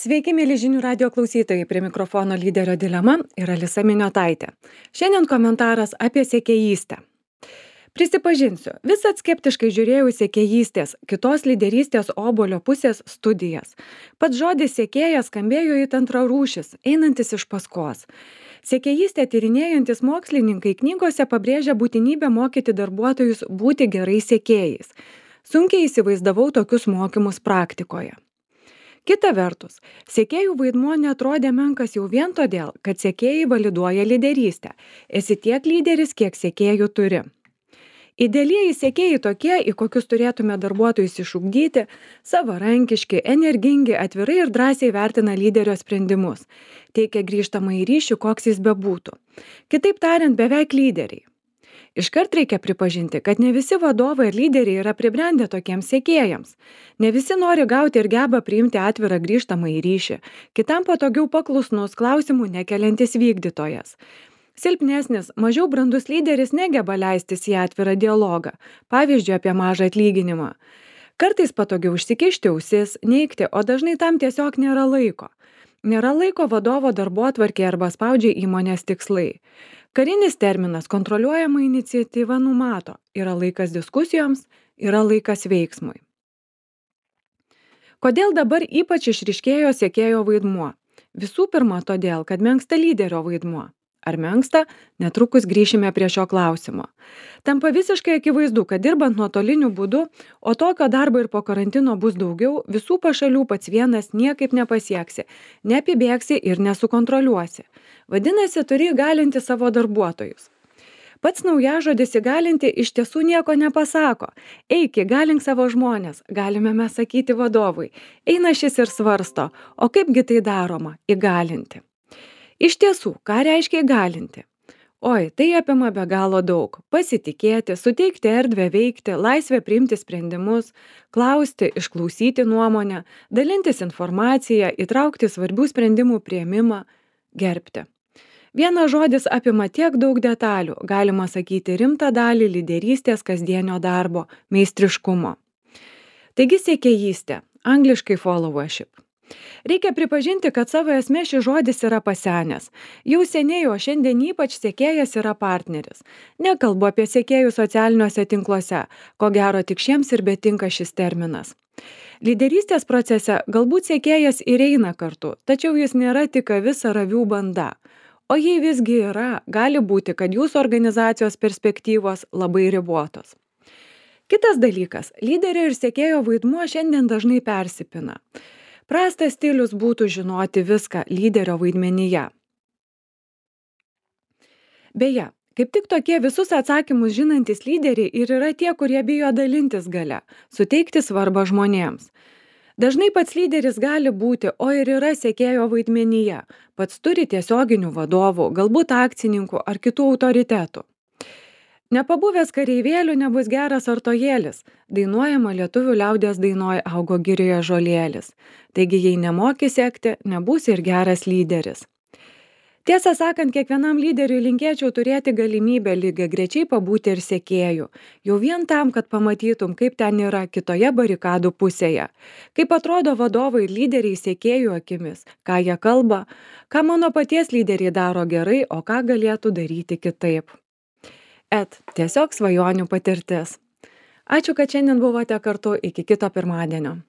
Sveiki, mėly žinių radio klausytojai, prie mikrofono lyderio dilema ir Alisa Miniotaitė. Šiandien komentaras apie sekėjystę. Prisipažinsiu, visat skeptiškai žiūrėjau į sekėjystės, kitos lyderystės obuolio pusės studijas. Pats žodis sekėjas skambėjo it antrarūšis, einantis iš paskos. Sekėjystę tyrinėjantis mokslininkai knygose pabrėžia būtinybę mokyti darbuotojus būti gerais sekėjais. Sunkiai įsivaizdavau tokius mokymus praktikoje. Kita vertus, sekėjų vaidmuo neatrodė menkas jau vien todėl, kad sekėjai validuoja lyderystę. Esi tiek lyderis, kiek sekėjų turi. Idealieji sekėjai tokie, į kokius turėtume darbuotojus išugdyti, savarankiški, energingi, atvirai ir drąsiai vertina lyderio sprendimus. Teikia grįžtamąjį ryšį, koks jis bebūtų. Kitaip tariant, beveik lyderiai. Iškart reikia pripažinti, kad ne visi vadovai ir lyderiai yra pribrendę tokiems sekėjams. Ne visi nori gauti ir geba priimti atvirą grįžtamąjį ryšį, kitam patogiau paklusnus, klausimų nekeliantis vykdytojas. Silpnesnis, mažiau brandus lyderis negeba leistis į atvirą dialogą, pavyzdžiui apie mažą atlyginimą. Kartais patogiau užsikišti ausis, neigti, o dažnai tam tiesiog nėra laiko. Nėra laiko vadovo darbotvarkėje arba spaudžia įmonės tikslai. Karinis terminas kontroliuojama iniciatyva numato, yra laikas diskusijoms, yra laikas veiksmui. Kodėl dabar ypač išryškėjo sekėjo vaidmuo? Visų pirma, todėl, kad menksta lyderio vaidmuo. Ar menksta? Netrukus grįšime prie šio klausimo. Tampa visiškai akivaizdu, kad dirbant nuotoliniu būdu, o tokio darbo ir po karantino bus daugiau, visų pašalių pats vienas niekaip nepasieksi, neapibėgsi ir nesukontroliuosi. Vadinasi, turi įgalinti savo darbuotojus. Pats naujažodis įgalinti iš tiesų nieko nepasako. Eik, įgalink savo žmonės, galime mes sakyti vadovui. Eina šis ir svarsto, o kaipgi tai daroma? Įgalinti. Iš tiesų, ką reiškia įgalinti? Oi, tai apima be galo daug. Pasitikėti, suteikti erdvę veikti, laisvę priimti sprendimus, klausti, išklausyti nuomonę, dalintis informaciją, įtraukti svarbių sprendimų priėmimą, gerbti. Vienas žodis apima tiek daug detalių, galima sakyti rimtą dalį lyderystės kasdienio darbo, meistriškumo. Taigi sekėjystė, angliškai followership. Reikia pripažinti, kad savo esmė šis žodis yra pasenęs. Jau seniai, o šiandien ypač sekėjas yra partneris. Nekalbu apie sekėjų socialiniuose tinkluose, ko gero tik šiems ir betinka šis terminas. Lyderystės procese galbūt sekėjas ir eina kartu, tačiau jis nėra tik avis ar avių banda. O jei visgi yra, gali būti, kad jūsų organizacijos perspektyvos labai ribotos. Kitas dalykas, lyderio ir sekėjo vaidmuo šiandien dažnai persipina. Prastas stilius būtų žinoti viską lyderio vaidmenyje. Beje, kaip tik tokie visus atsakymus žinantys lyderiai ir yra tie, kurie bijo dalintis galia, suteikti svarbą žmonėms. Dažnai pats lyderis gali būti, o ir yra sekėjo vaidmenyje, pats turi tiesioginių vadovų, galbūt akcininkų ar kitų autoritetų. Nepabuvęs kareivėlių nebus geras artojėlis, dainuojama lietuvių liaudies dainoj augo girioje žolėlis. Taigi, jei nemoki sekti, nebūsi ir geras lyderis. Tiesą sakant, kiekvienam lyderiui linkėčiau turėti galimybę lygiagrečiai pabūti ir sekėjų, jau vien tam, kad pamatytum, kaip ten yra kitoje barikadų pusėje, kaip atrodo vadovai ir lyderiai sekėjų akimis, ką jie kalba, ką mano paties lyderiai daro gerai, o ką galėtų daryti kitaip. Tiesiog svajonių patirtis. Ačiū, kad šiandien buvote kartu, iki kito pirmadienio.